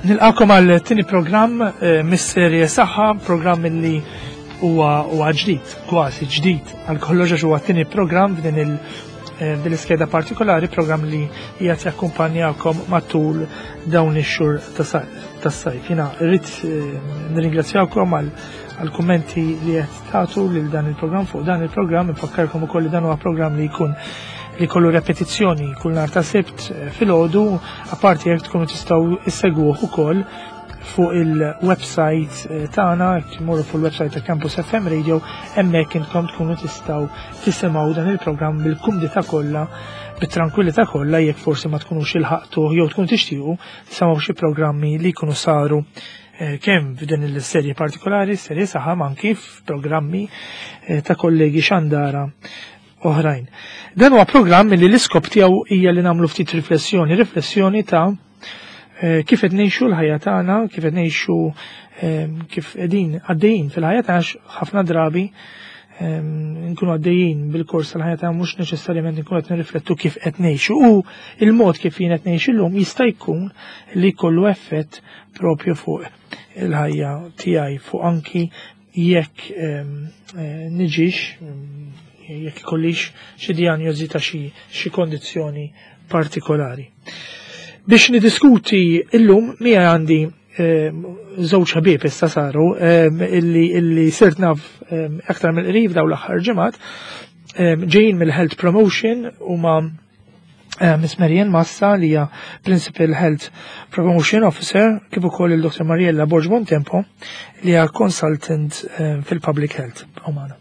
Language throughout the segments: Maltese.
Nilqakom għal tini programm eh, mis-serje saħħa, programm li huwa ġdid, kważi ġdid għal kollox għax huwa tini programm f'din il- eh, din l-iskeda partikolari, programm li qiegħed jakkumpanjakom matul dawn ix-xhur tas-sajf. Jiena rrid eh, nirringrazzjakom għal kummenti li qed tagħtu lil dan il-programm fuq dan il-programm, infakkarkom ukoll li dan huwa programm li jkun li kollu repetizzjoni kull nhar ta' sibt eh, filgħodu, apparti jekk tkunu tistgħu issegwuh ukoll fuq il-website eh, tagħna, jekk tmorru fuq il-website ta' Campus FM Radio, hemmhekk intkom tkunu tistgħu tisimgħu dan il-programm bil-kumdità kollha, bit-tranquillità kollha jekk forsi ma tkunux ilħaqtuh jew tkunu tixtiequ tisimgħu xi programmi li jkunu saru eh, kemm f'din il-serje partikolari, serje saħam anki f'programmi eh, ta' kollegi xandara oħrajn. Dan huwa programm li l-iskop tiegħu hija li nagħmlu ftit riflessjoni, riflessjoni ta' eh, kif qed ngħixu l-ħajja tagħna, kif qed ngħixu eh, kif qegħdin għaddejjin fil-ħajja tagħna ħafna drabi eh, nkunu għaddejjin bil-kors tal-ħajja tagħna mhux neċessarjament nkunu qed nirriflettu kif qed ngħixu u il-mod kif jien qed ngħix illum jista' jkun li jkollu effett propju fuq il-ħajja tiegħi fuq anki jekk niġix jekk ikollix xi dijanjosi ta' xi kondizzjoni partikolari. Biex nidiskuti illum miegħi għandi żewġ ħbieb issa saru illi illi sirt naf aktar mill-qrib dawn l-aħħar ġimgħat ġejjin mill-Health Promotion huma Eh, Miss Marianne Massa li hija Principal Health Promotion Officer kif ukoll il-Dr. Mariella Borg Bontempo li hija consultant eh, fil-Public Health umana.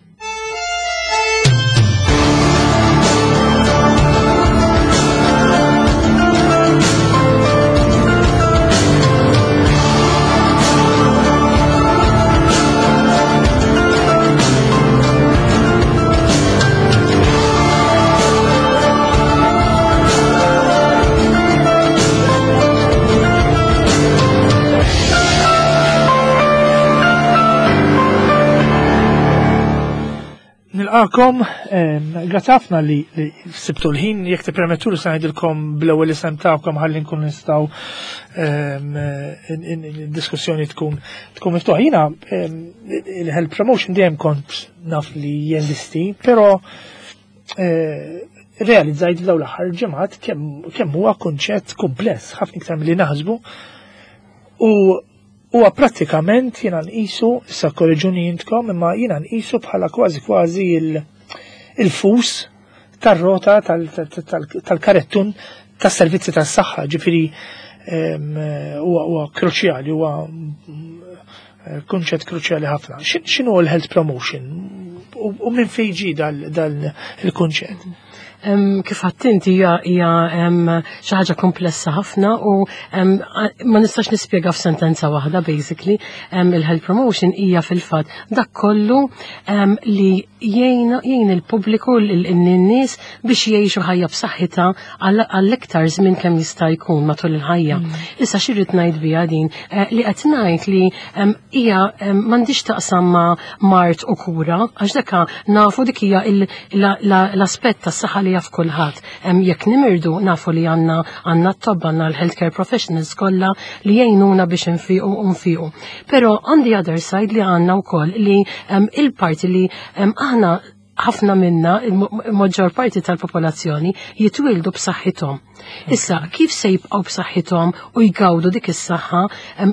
Nilqakom, grazzi ħafna li sibtu l-ħin, jekk tippermettu li se ngħidilkom bl-ewwel isem tagħkom ħalli nkun nistgħu diskussjoni tkun tkun miftuħa. Jiena il-health promotion dejjem kont naf li jeżisti, però eh, realizzajt f'dawn l-aħħar ġimgħat kemm huwa kunċett kumpless ħafna iktar milli naħsbu u huwa prattikament jiena nqisu issa korriġuni intkom imma jiena nqisu bħala kważi kważi il-fus tar-rota tal-karettun tas-servizzi tas-saħħa, ġifieri huwa kruċjali, huwa eh, kunċett kruċjali ħafna. X'inhu l-health promotion? U minn fejn ġie dal il-kunċett? Kif għattinti hija xi ħaġa komplessa ħafna u ma nistax nispjega f'sentenza waħda basically. Il-health promotion hija fil-fatt dak kollu li jgħin il-pubbliku l-nies biex jgħixu ħajja b'saħħitha għall-iktar żmien kemm jista' jkun matul il-ħajja. Mm. Issa xi rrid ngħid biha din eh, li qed ngħid li hija m'għandix taqsam ma' mart u kura għax daka nafu dik hija l-aspett tas-saħħa li jaf kulħadd. Jekk nimirdu nafu li għandna għandna t-tobba għandna l-healthcare professionals kollha li jgħinuna biex nfiqu u nfiqu. Però on the other side li għandna wkoll li il-parti li aħna Ħafna minna, il-maġġor parti tal-popolazzjoni, jitwildu b'saħħithom. Issa, kif se jibqgħu b'saħħithom u jgawdu dik is-saħħa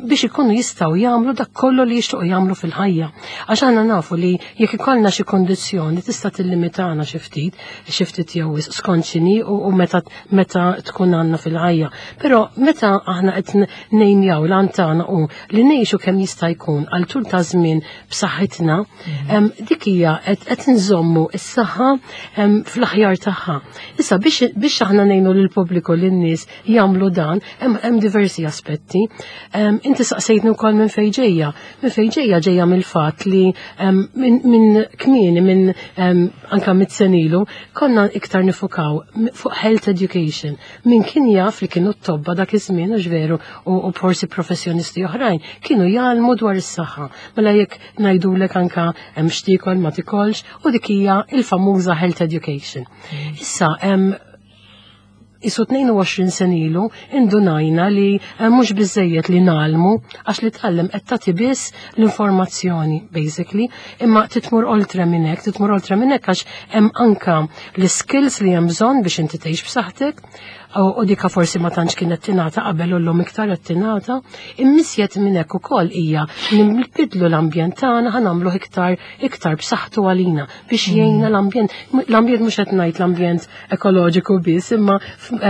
biex ikunu jistgħu jagħmlu dak kollu li jixtiequ jagħmlu fil-ħajja? Għax aħna nafu li jekk ikollna xi kondizzjoni tista' tillimitana xi ftit, xi ftit jew skont x'inhi u meta tkun għandna fil-ħajja. Però meta aħna qed nejmjaw l tagħna u li ngħixu kemm jista' jkun għal tul ta' żmien b'saħħitna, dik hija qed nżommu s-saħħa fl-aħjar tagħha. Issa biex aħna ngħinu lill-pubbliku, lin-nies jagħmlu dan, hemm diversi aspetti. Inti saqsejtni wkoll minn fejn ġejja. Minn fejn ġejja, ġejja mill-fatt li minn kmieni, minn anka mit-senilu, konna iktar nifukaw fuq health education. Min kien jaf li kienu t-tobba dak iż-żmien, u veru, u forsi professjonisti oħrajn kienu jgħallmu dwar is-saħħa. Mela jekk ngħidulek anka hemm x'tiekol, ma tikolx, u dik hija il-famuża health education. Issa hemm isu 22 senilu indunajna li mhux biżejjed li ngħallmu, għax li tgħallem qed tagħti biss l-informazzjoni basically, imma titmur oltre minn hekk, titmur oltre minn hekk għax hemm anka l-skills li hemm bżonn biex inti tgħix b'saħħtek u dika forsi ma tantx kienet tingħata qabel u llum iktar qed tingħata. Immisjet minn hekk ukoll hija li nbidlu l-ambjent tagħna, ħa nagħmluh iktar b'saħħtu għalina biex jgħinna l-ambjent. L-ambjent mhux qed ngħid l-ambjent ekoloġiku biss, imma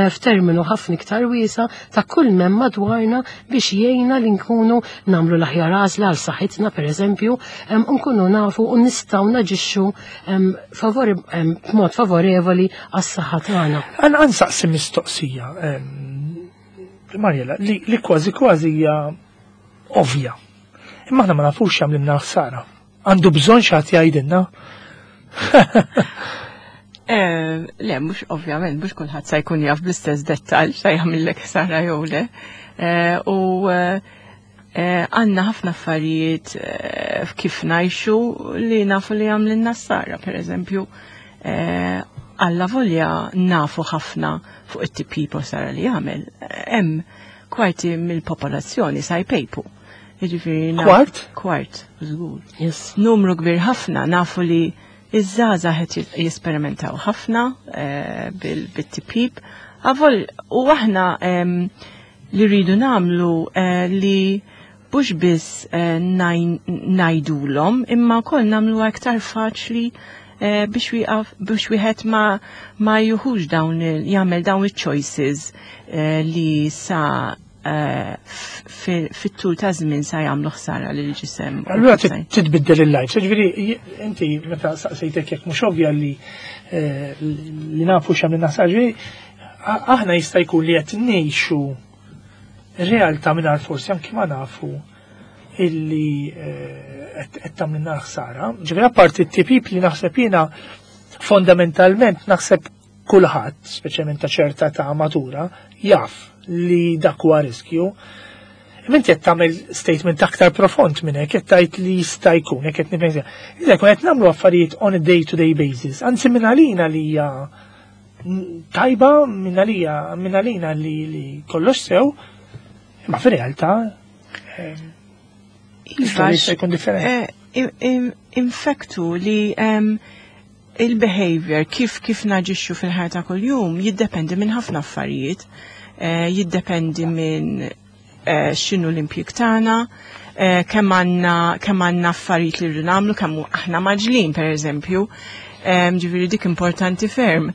f'terminu ħafna iktar wiesa ta' kull mem madwarna biex jgħinna li nkunu nagħmlu l-aħjar għażla għal saħħitna pereżempju, nkunu nafu u nistgħu naġixxu b'mod favorevoli għas-saħħa tagħna. Għan nsaqsi mistoqsija, Mariela, li kważi kważi hija ovvja. Imma aħna ma nafux x'jagħmlilna ħsara. Għandu bżonn xi ħadd jgħidilna? Le, mhux ovvjament, mhux kulħadd sa jkun jaf bl-istess dettall xa jagħmillek ħsara jew le. U għandna ħafna affarijiet kif ngħixu li nafu li jagħmlilna ħsara, per eżempju, alla volja nafu ħafna fuq it-tipjip ħsara li jagħmel. Hemm kwarti mill-popolazzjoni sa jpejpu. Jiġifieri Kwart? Kwart, żgur. Yes. Numru kbir ħafna, nafu li iż-żgħażagħ qed jesperimentaw ħafna bit-tipjip. Avol, u aħna li rridu nagħmlu li mhux biss ngħidulhom, imma wkoll nagħmlu aktar faċli biex wieħed ma juħux dawn jagħmel dawn il-choices li sa fit-tul ta' żmien sa jagħmlu ħsara lil ġisem. Allura titbiddel il-life. Ġifieri inti meta saqsejtek jekk mhux ovvja li nafu x'għamilna ħsara, ġifieri aħna jista' jkun li qed ngħixu realtà mingħajr forsi anki ma nafu illi qed tagħmilna ħsara. Ġifieri apparti t-tipip li naħseb jiena fondamentalment naħseb kulħadd, speċjalment ta' ċerta ta' matura, jaf li dak huwa riskju. Imma inti qed tagħmel statement aktar profond minn hekk, qed tgħid li jista' jkun, hekk qed nifhem. Iżda jkun qed nagħmlu affarijiet on a day-to-day basis, anzi minn għalina li hija tajba, minn għalina li kollox sew, imma fir-realtà Iva, jista' jkun differenti. Infektu li il-behavior, kif naġixxu fil-ħajja ta' kuljum, jiddependi minn ħafna affarijiet. Jiddependi minn x'inhu l-impjieg tagħna, kemm għandna affarijiet li rridu nagħmlu, kemm aħna mgħaġġlin pereżempju. Ġifieri dik importanti ferm.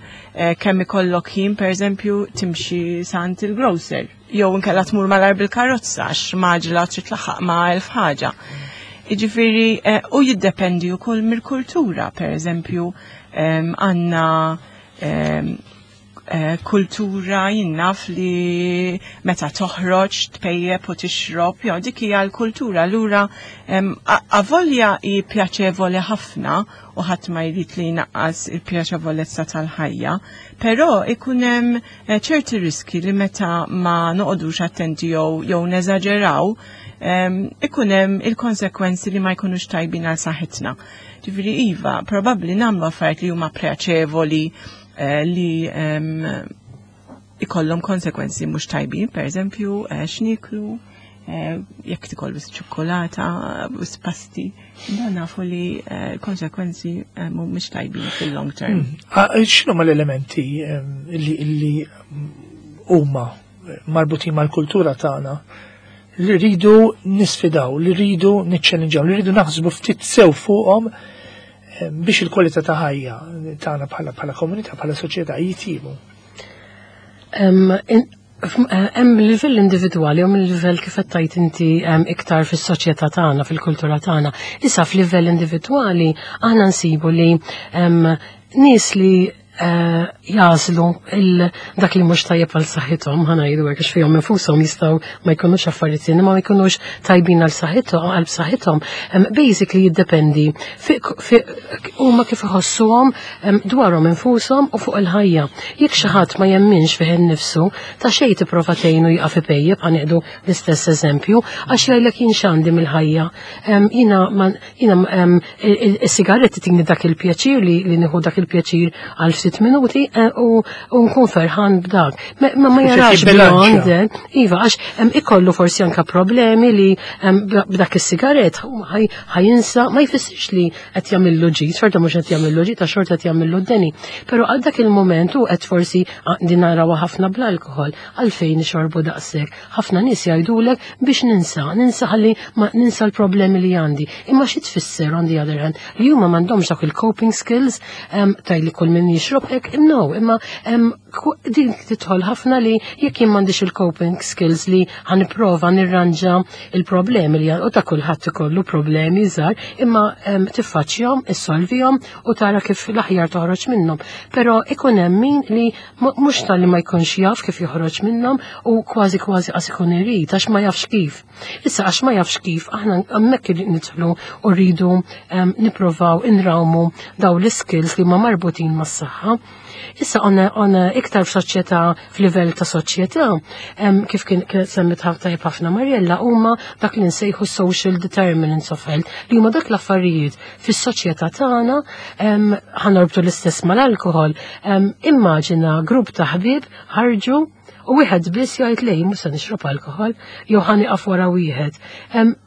Kemm ikollok ħin pereżempju timxi sant il-grocer, jew inkella tmur malar bil-karozza għax mgħaġġla trid tlaħħaq ma' elf ħaġa. Jiġifieri, u jiddependi wkoll mill-kultura, pereżempju, għandna kultura jinnaf li meta toħroġ tpejjep u tixrob, jew dik hija l-kultura. Allura avolja hi pjaċevoli ħafna u ħadd ma jrid li jnaqqas il-pjaċevolezza tal-ħajja, però ikun hemm ċerti riski li meta ma noqogħdux attenti jew neżaġeraw, ikun hemm il-konsekwenzi li ma jkunux tajbin għal saħħitna. Ġifieri iva, probabbli nagħmlu affarijiet li huma pjaċevoli li ikollhom konsekwenzi mhux tajbin, pereżempju, x'niklu, Jekk tikol biss ċokolata, biss pasti, dan nafu li konsekwenzi mhumiex tajbin fil-long term. X'inhu l-elementi li huma marbutin mal-kultura tagħna li rridu nisfidaw, li rridu niċċellinġaw, li rridu naħsbu ftit sew fuqhom biex il-kwalità ta' ħajja tagħna bħala komunità, bħala soċjetà jitjibu? Hemm livell individwali u livell kif qed tgħid inti iktar fis-soċjetà tagħna, fil-kultura tagħna. Issa f'livell individwali aħna nsibu li nies li jagħżlu dak li mhux tajjeb għal saħħithom, ħa ngħidu hekk, għax fihom infushom jistgħu ma jkunux affarijiet ma jkunux tajbin għal saħħithom, għal saħħithom. Basically jiddependi huma kif iħossuhom dwarhom infushom u fuq il-ħajja. Jekk xi ħadd ma jemminx fih innifsu, ta' xejn tipprova tgħinu jieqaf ipejjep, ħa nieħdu l-istess eżempju, għax jgħidlek jien x'għandi mill-ħajja. Jiena il-sigaretti tini dak il-pjaċir li nieħu dak il-pjaċir għal ftit minuti u nkun ferħan b'dak. Ma jarax beyond, iva, għax ikollu forsi anka problemi li b'dak is-sigarett ħa jinsa, ma jfissirx li qed jagħmillu ġid, xorta mhux qed jagħmillu ġid, ta' xorta qed jagħmillu d-deni. Però għal dak il-moment u qed forsi din narawha ħafna bl-alkohol, għalfejn ixorbu daqshekk. Ħafna nies jgħidulek biex ninsa, ninsa ħalli ma ninsa l-problemi li għandi. Imma xi tfisser on the other hand li huma m'għandhomx dak il-coping skills taj li kull min jixrob hekk, no, imma din tidħol ħafna li jekk jien m'għandix il-coping skills li ħa nipprova nirranġa il-problemi li u ta' kulħadd ikollu problemi żgħar, imma tiffaċċjahom, issolvihom u tara kif l-aħjar toħroġ minnhom. Però ikun hemm min li mhux tal-li ma jkunx jaf kif joħroġ minnhom u kważi kważi qas ikun irid għax ma jafx kif. Issa għax ma jafx kif aħna hemmhekk nidħlu u rridu nipprovaw inrawmu daw l-skills li huma marbutin mas-saħħa. Issa on iktar f'soċjetà, f'livell ta' soċjetà, kif kien semmit tajjeb ħafna Mariella, huma dak li nsejħu social determinants of health, li huma dak l-affarijiet fis-soċjetà tagħna. Ħa norbtu l-istess mal-alkohol. Immaġina grupp ta' ħbieb ħarġu u wieħed biss jgħid lej mhux se nixrob alkohol jew ħa nieqaf wara wieħed.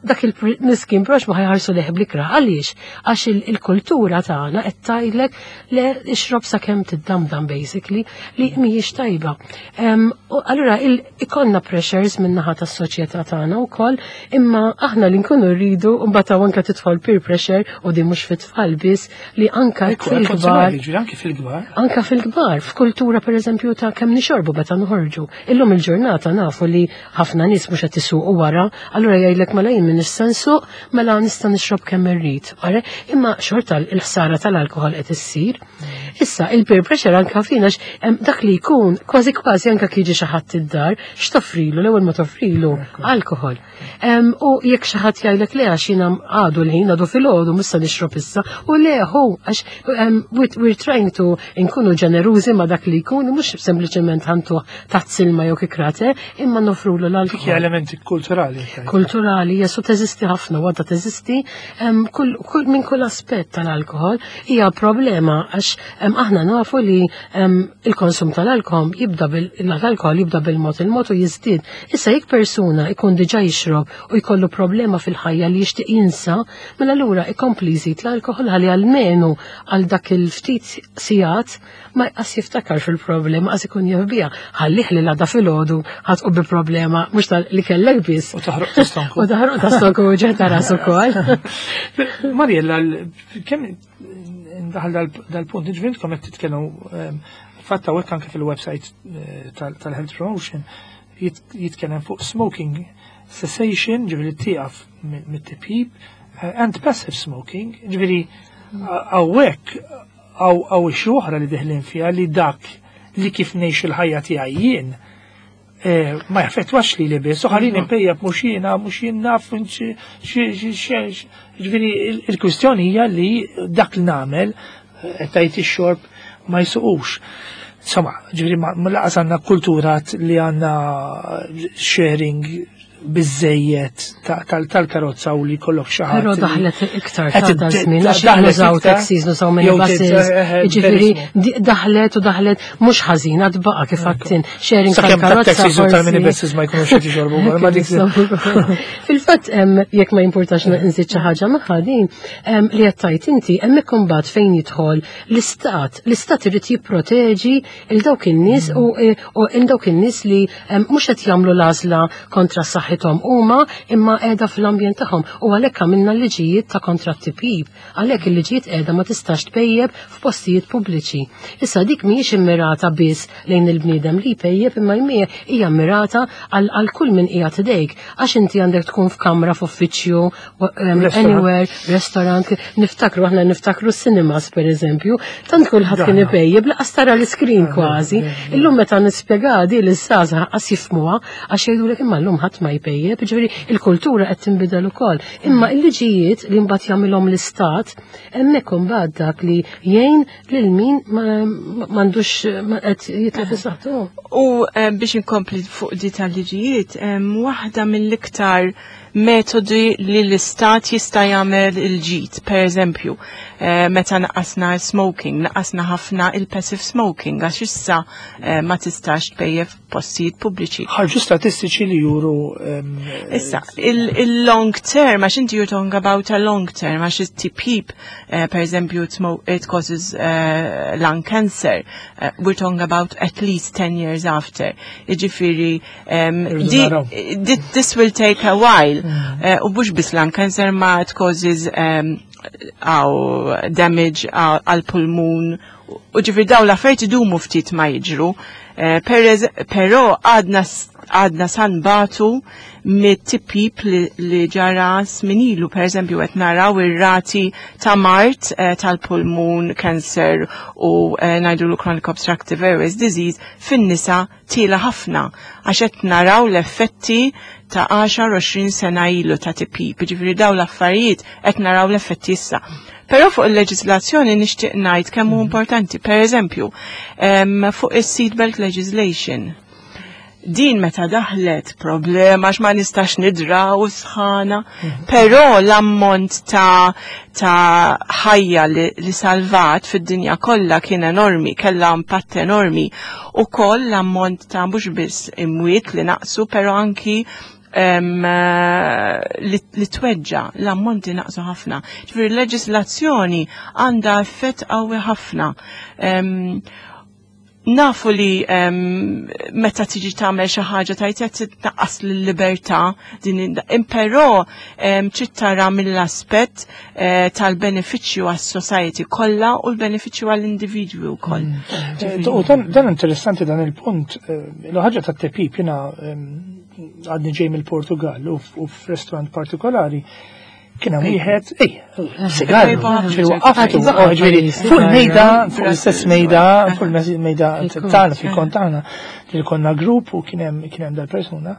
Dak il-miskin prox ma ħa jħarsu lejh bl-ikrah. Għaliex? Għax il-kultura tagħna qed tgħidlek le, ixrob sakemm tiddamdam basically, li mhijiex tajba. U allura ikollna pressures min-naħa tas-soċjetà tagħna wkoll, imma aħna li nkunu rridu mbagħad hawn anke tidħol peer pressure u din mhux fit-tfal biss, li anka fil-kbar. Anke fil-kbar. Anka fil-kbar, f'kultura pereżempju ta' kemm nixorbu meta noħorġu. Illum il-ġurnata nafu li ħafna nies mhux qed isuqu wara, allura jgħidlek mela jien m'iniex se nsuq, mela nista' nixrob kemm irrid. Imma xorta l-ħsara tal-alkohol qed issir. Issa il-peer pressure anka fina dak li jkun kważi kważi anka jiġi xi ħadd id-dar, x'toffrilu l-ewwel ma toffrilu alkohol. U jekk xi ħadd jgħidlek le għax jiena għadu l-ħin, għadu filgħodu, mhux se nixrob issa, u le hu għax we're trying to nkunu ġenerużi ma dak li jkun, mhux sempliċement ħa ntuh taħt silma jew kikrate, imma nofrulu l-alkohol. Dik elementi kulturali. Kulturali, jesu teżisti ħafna, għadha teżisti kull minn kull aspett tal-alkohol hija problema għax aħna nafu li il-konsum tal-alkohol jibda bil-alkohol jibda bil-mod il-mod u jiżdied. Issa jekk persuna ikun diġà jixrob u jkollu problema fil-ħajja li jixtieq jinsa, mela allura ikompli jżid l-alkohol ħalli almenu għal dak il-ftit sigħat ma jqas jiftakar fil-problema, qas ikun jaf biha. Ħallih li l-għada filgħodu ħa tqum bi problema mhux tal li kellek biss. U taħroq ta' stonku. U taħroq ta' stonku u ġeħ ta' rasu ukoll. Mariella, kemm ndaħal dal-punt, ġifieri intkom qed titkellmu fatta hawnhekk anke fil-website tal-Health Promotion jitkellem fuq smoking cessation, ġifieri tieqaf mit-tipjip, and passive smoking, ġifieri hawnhekk hawn xi oħra li deħlin fiha li dak li kif ngħix il-ħajja tiegħi jien ma jaffettwax li biss, u ħallini npejjep mhux jiena, mhux jien naf, ġifieri il-kwistjoni hija li dak li nagħmel tajt ix-xorb ma jsuqux. Insomma, ġifieri ma laqas għandna kultura li għandna sharing. biżejjed tal-karozza u li jkollok xi ħadd. Però daħlet iktar ta' da żmien għax nużaw taxis, nużaw minibuses, eh, eh, jiġifieri daħlet u daħlet mhux ħażin għad baqa' kif għattin sharing tal-karozza. Taxis u tal-minibuses ma jkunux qed jixorbu ma dik. Fil-fatt jekk ma jimpurtax nżid xi ħaġa magħha din li qed tgħid inti hemmhekk imbagħad fejn jidħol l-istat, l-istat irid jipproteġi il dawk in-nies u e, il dawk in-nies li mhux qed jagħmlu l-għażla kontra saħħithom huma imma qiegħda fl-ambjent tagħhom u għalhekk għamilna liġijiet ta' kontra t-tipjib. Għalhekk il-liġijiet qiegħda ma tistax tpejjeb f'postijiet pubbliċi. Issa dik mhijiex immirata biss lejn il-bniedem li jpejjeb imma hija mmirata għal kull min qiegħed idejk għax inti għandek tkun f'kamra f'uffiċċju anywhere, restaurant, niftakru, aħna niftakru cinemas per eżempju, tant kulħadd kien ipejjeb laqas tara l-iskrin kważi. Illum meta nispjega di l-żgħażagħ qas jifhmuha għax jgħidulek imma llum ħadd ma jpejjeb, ġifieri il-kultura qed tinbidel ukoll. Imma il-liġijiet li mbagħad jagħmilhom l-istat, hemmhekk imbagħad dak li jgħin lil min m'għandux qed jitlef is-saħħtu. U eh, biex inkompli fuq di tal-liġijiet, waħda mill-iktar metodi li l-istat jista' jagħmel il-ġid. Per eżempju, eh, meta naqasna smoking, naqasna ħafna il-passive smoking, għax issa eh, ma tistax tpejjef postijiet pubbliċi. Ħarġu statistiċi li juru. Ehm, issa, il-long term, għax inti you're talking about a long term, għax it-tipjib, eh, per eżempju, it causes lung cancer, we're talking about at least 10 years after. Iġifiri, This will take a while. Mm. Eh, u bux biss lung cancer ma it causes għaw damage għal pulmun. U ġifir daw l-affarijiet idumu ftit ma jiġru. Eh, però għadna għadna sanbatu mit-tipip li, li ġara sminilu, per eżempju, qed naraw ir-rati ta' mart eh, tal-pulmun, cancer u eh, ngħidu chronic obstructive airways disease fin-nisa tiela ħafna għax qed naraw l-effetti ta' 10-20 sena ilu ta' tipip, ġifieri daw l-affarijiet qed naraw l-effetti issa. Però fuq il-leġislazzjoni nixtieq ngħid kemm hu mhm. importanti. Per eżempju, fuq is-seatbelt legislation din meta daħlet problema għax ma nistax nidra u sħana, mhm. però l-ammont ta' ta' ħajja li, li salvat fid-dinja kollha kien enormi, kellha impatt enormi. U koll l-ammont ta' mhux biss imwiet li naqsu, però anki um, li, li tweġġa, l-ammonti naqsu ħafna. Ġifieri l-leġislazzjoni għandha effett qawwi ħafna. Um, nafu li meta tiġi tagħmel xi ħaġa tajt qed tnaqqas l-libertà din imperò trid tara mill-aspett eh, tal-benefiċċju għas-society kollha u l-benefiċċju għall-individwi wkoll. Mm. Eh, u dan interessanti dan il-punt, eh, l-ħaġa tat-tepip jiena għadni ġej mill-Portugal u f'restaurant partikolari Kien hemm wieħed, ej, sigar, ġifieri waqqaftu, ġifieri fuq il-mejda, fuq l-istess mejda, fuq il-mejda tagħna fil-kont tagħna, li konna grupp u kien hemm kien hemm dal-persuna.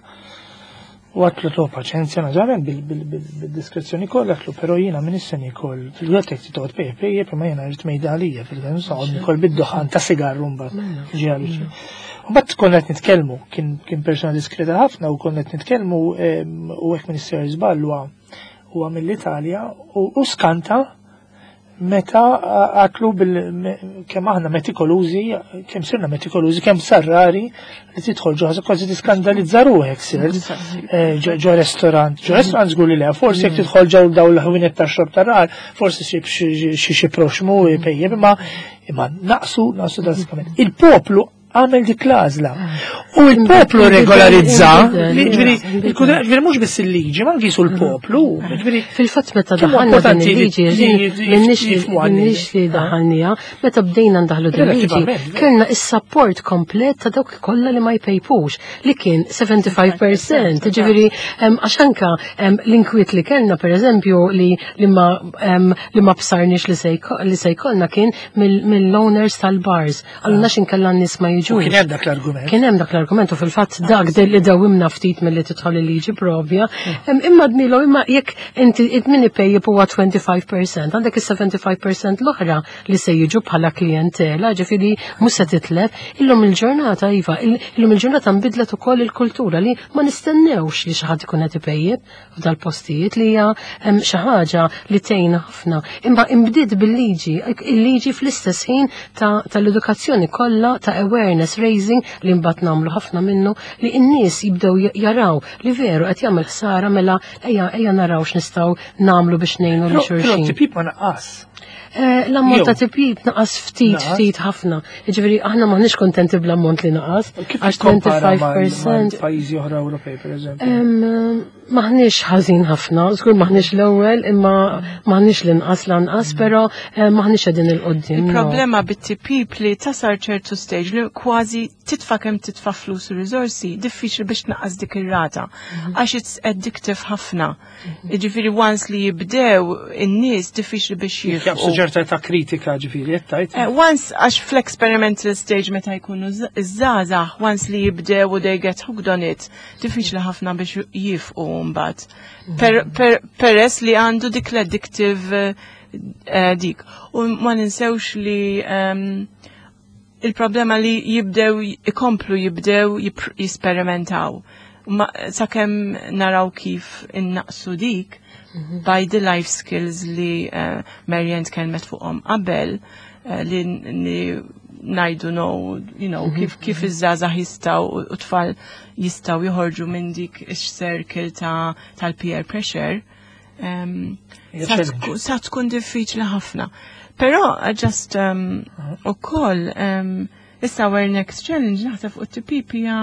U għatlu to paċenzja, naturalment bil-diskrezzjoni kollha, għatlu però jiena minn issa nikol, fil-għatek titgħod pejje pejje, imma jiena rrid mejda għalija, fil-għan nikol bid-duħan ta' sigarru mbagħad. Mela. Ġi għalli. U bat konna qed nitkellmu, kien persuna diskreta ħafna u konna qed nitkellmu u hekk Minister żball huwa mill-Italja u skanta meta għatlu bil kemm aħna metikolużi, kemm sirna metikolużi, kemm sarrari li tidħol ġo kważi tiskandalizza ruħek sir eh, ġo restorant. Ġo restorant żgur li le, forsi jekk tidħol ġew daw l-ħwienet ta' xorb tar-rar, forsi xi xi proxmu pejjem, imma imma naqsu naqsu drastikament. Il-poplu għamel dik l-għażla. U l-poplu regolarizza, ġifieri ġifieri mhux biss il-liġi, ma anki sul poplu. Fil-fatt meta daħalna din il-liġi, minnix li daħalnija, meta bdejna ndaħlu din il-liġi, kellna is-support komplet ta' dawk kollha li ma jpejpux, li kien 75%, ġifieri għax anka l-inkwiet li kellna pereżempju li li ma li ma bsarniex li se jkollna kien mill-owners tal-bars. Għalna x'inkella n-nies ma jiġux. Kien hemm dak l-argument. Kien hemm dak l-argument u fil-fatt dak li dawimna ftit milli tidħol il-liġi propja. Imma dnilu imma jekk inti min ipejjep huwa 25%, għandek is-75% l-oħra li se jiġu bħala klijentela, ġifieri mhux se titlef. Illum il-ġurnata iva, illum il-ġurnata nbidlet ukoll il-kultura li ma nistennewx li xi ħadd ikun qed ipejjep f'dal-postijiet li hija xi ħaġa li tgħinna ħafna. Imma imbdiet bil-liġi, il-liġi fl-istess ħin tal-edukazzjoni kollha ta' awareness raising li mbagħad nagħmlu ħafna minnu li n-nies jibdew jaraw li veru qed jagħmel ħsara mela ejja ejja naraw x'nistgħu nagħmlu biex ngħinu lil xulxin. Però tipjip ma naqqas. Eh, l-ammont ta' tipjip naqas ftit, ftit ħafna. Jiġifieri aħna maħniex kontenti bl-ammont li naqas. Għax 25%. Pajjiżi oħra Ewropej, pereżempju. Maħniex ħażin ħafna, żgur maħniex l-ewwel, imma maħniex l-inqas lanqas, però eh, maħniex qegħdin il-qoddim. Il-problema bit-tipjip li tasar ċertu stage li kważi titfa' kemm titfa' flus u riżorsi, diffiċli biex tnaqqas dik ir-rata. Mhm. Għax it's addictive ħafna. Ġifiri once li jibdew in-nies diffiċli biex jifqu. Jaqbsu ċerta ta' kritika ġifiri, jettajt. Eh, once għax fl-experimental stage meta jkunu iż-żgħażagħ, once li jibdew u they get hooked on it, diffiċli ħafna biex jifqu mbagħad. Peress li għandu dik l-addictive eh, dik. U ma ninsewx li ehm, il-problema li jibdew ikomplu jibdew jisperimentaw. Ma sakemm naraw kif innaqsu dik mhm. by the life skills li uh, Marianne tkellmet fuqhom qabel uh, li, li najdu no, you know, mhm. kif, kif iż-żgħażagħ jistgħu u tfal jistgħu joħorġu minn dik ix-circle ta' tal-peer pressure. Um, sa tkun diffiċli ħafna. Però uh, just um, u koll, um, issa our next challenge naħseb fuq TPP hija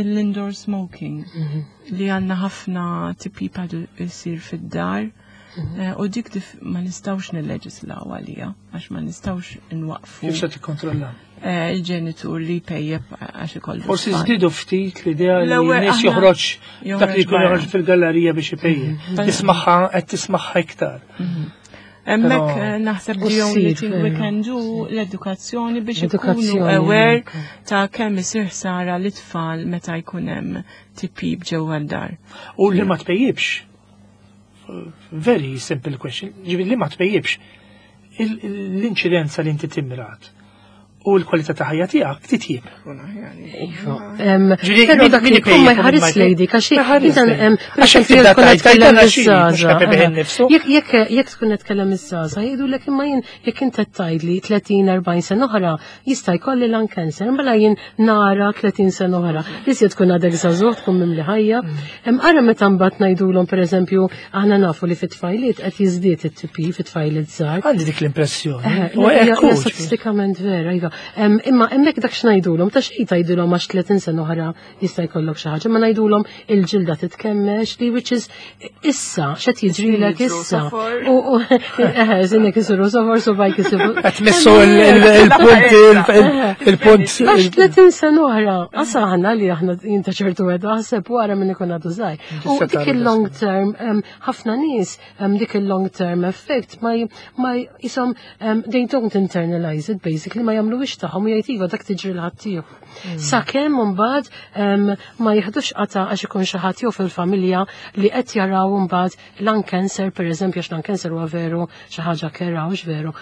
l-indoor smoking mhm. li għanna ħafna TPP għadu jisir fid-dar. Mhm. Eh, u dik ma nistawx nilleġislaw għalija, għax ma nistawx nwaqfu. Kif se tikkontrolla? Eh, il-ġenitur li pejjeb għax ikollu. Forsi żdiedu ftit l-idea li nies joħroġ dak li jkun joħroġ fil-gallerija biex ipejjeb. Mhm. Tismagħha qed tismagħha iktar. Mhm. Hemmhekk eh, naħseb the only thing we can do l-edukazzjoni biex ikunu aware ta' kemm isir ħsara l-itfal meta jkun hemm tipib ġewwa d-dar. U li ma tpejjibx. Very simple question. Ġifieri li ma tpejjibx l-inċidenza li inti timrat u l-kwalità ta' ħajja tiegħek titjib. Iva. Però dak li jkun ma jħares lejdi, għax Jekk tkun qed tkellem iż-żgħażagħ jgħidulek imma jien jekk inti qed tgħidli 30-40 sena oħra jista' jkolli lung cancer, mela jien nara 30 sena oħra. Iżjed tkun għadek żagħżugħ tkun mimli ħajja. Ara meta mbagħad ngħidulhom pereżempju aħna nafu li fit-tfajliet qed jiżdied it-TP fit-tfajliet żgħar. Għandi dik l-impressjoni. Eh, statistikament vera, iva. Imma hemmhekk dak x'ngħidulhom ta' xejn tgħidulhom għax 30 sena oħra jista' jkollok xi ħaġa, ma ngħidulhom il-ġilda titkemmex li which is issa x'qed jiġrilek issa. U eh, żinnek isiru sofor su bajk isiru. Qed missu il-punt il-punt. Għax 30 sena oħra, asa aħna li aħna jinta ċertu għedu ħaseb wara minn ikun għadu żgħir. U dik il-long term, ħafna nies dik il-long term effect ma ma jisom they don't internalize it basically ma jagħmluhiex tagħhom u jgħid iva dak tiġri l-ħaddieħor. Mm. Sakemm imbagħad ma jieħdux qata għax ikun xi ħadd jew fil-familja li qed jaraw imbagħad lung cancer pereżempju għax lung cancer huwa veru xi ħaġa kera hux veru.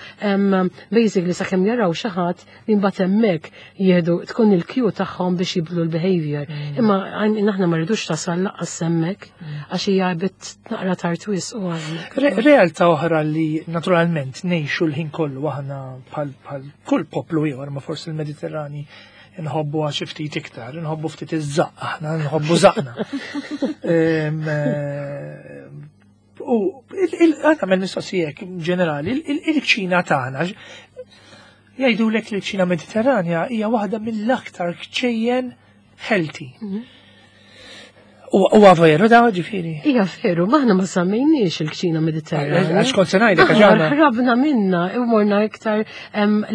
Basically sakemm jaraw xi ħadd li mbagħad hemmhekk jieħdu tkun il-kju tagħhom biex jibdlu l-behavior. Mm. Imma aħna ma rridux tasal laqqas hemmhekk mm. għax hija bit naqra tard wisq u Realtà oħra li naturalment ngħixu l-ħin kollu aħna bħal kull poplu ieħor ma forsi l-Mediterrani nħobbu għax ftit iktar, nħobbu ftit iż-żaq aħna, nħobbu żaqna. Eh, u għana mistoqsijek ġenerali, il-kċina tagħna Jgħidulek li l-kċina Mediterranja hija waħda mill-aktar kċejjen healthy. Mhm. Huwa veru da ġifieri. Ija veru, maħna ma semmejniex il-kċina Mediterranja. Għax kont se ngħidlek għax Aħna ħrabna minna u morna iktar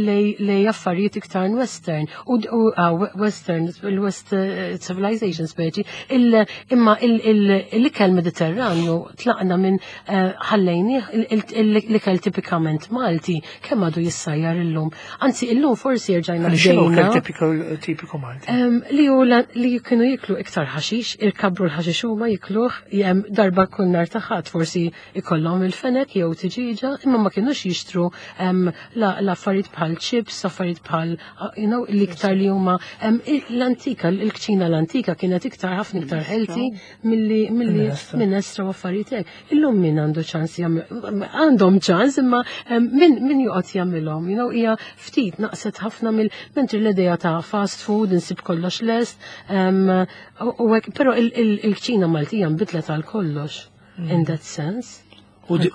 lej affarijiet iktar western u western il-west civilization speċi imma l-ikel Mediterranju tlaqna minn ħallejni l-ikel tipikament Malti kemm għadu jissajjar illum. Anzi illum forsi rġajna X'inhu ikel tipiku Malti? Li hu li kienu jiklu iktar ħaxix, irkabru l-ħaxix huma jikluh jem darba kull nhar ta' Ħadd forsi ikollhom il-fenek jew tiġiġa, imma ma kienux jixtru l-affarijiet bħal chips, affarijiet bħal l-iktar li huma l-antika, il-kċina l-antika kienet iktar ħafna iktar healthy milli minestra u affarijiet hekk. Illum min għandu ċans jagħmel, għandhom ċans imma min joqgħod jagħmilhom, hija ftit naqset ħafna mill mentri l-idea ta' fast food insib kollox lest, u hekk, però il-kċina Maltija nbidlet għal kollox in that sense. U dik